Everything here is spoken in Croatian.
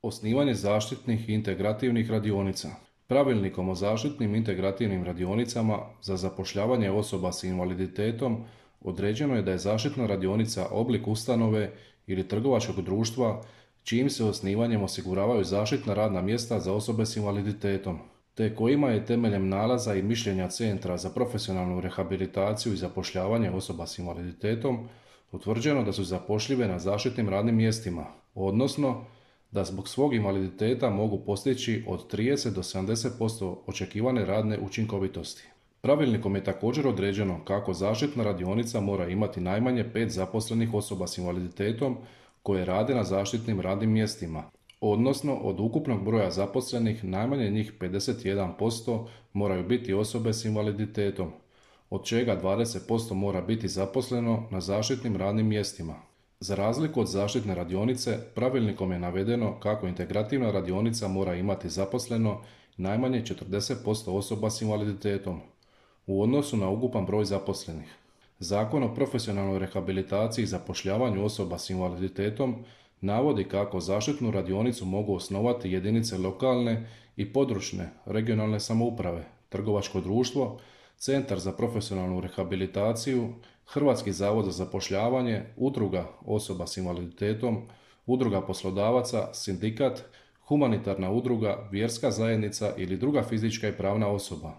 Osnivanje zaštitnih i integrativnih radionica. Pravilnikom o zaštitnim integrativnim radionicama za zapošljavanje osoba s invaliditetom određeno je da je zaštitna radionica oblik ustanove ili trgovačkog društva čijim se osnivanjem osiguravaju zaštitna radna mjesta za osobe s invaliditetom, te kojima je temeljem nalaza i mišljenja Centra za profesionalnu rehabilitaciju i zapošljavanje osoba s invaliditetom utvrđeno da su zapošljive na zaštitnim radnim mjestima, odnosno da zbog svog invaliditeta mogu postići od 30 do 70% očekivane radne učinkovitosti. Pravilnikom je također određeno kako zaštitna radionica mora imati najmanje 5 zaposlenih osoba s invaliditetom koje rade na zaštitnim radnim mjestima, odnosno od ukupnog broja zaposlenih najmanje njih 51% moraju biti osobe s invaliditetom, od čega 20% mora biti zaposleno na zaštitnim radnim mjestima. Za razliku od zaštitne radionice, pravilnikom je navedeno kako integrativna radionica mora imati zaposleno najmanje 40% osoba s invaliditetom u odnosu na ukupan broj zaposlenih. Zakon o profesionalnoj rehabilitaciji i zapošljavanju osoba s invaliditetom navodi kako zaštitnu radionicu mogu osnovati jedinice lokalne i područne regionalne samouprave, trgovačko društvo, Centar za profesionalnu rehabilitaciju, Hrvatski zavod za zapošljavanje, udruga osoba s invaliditetom, udruga poslodavaca, sindikat, humanitarna udruga, vjerska zajednica ili druga fizička i pravna osoba.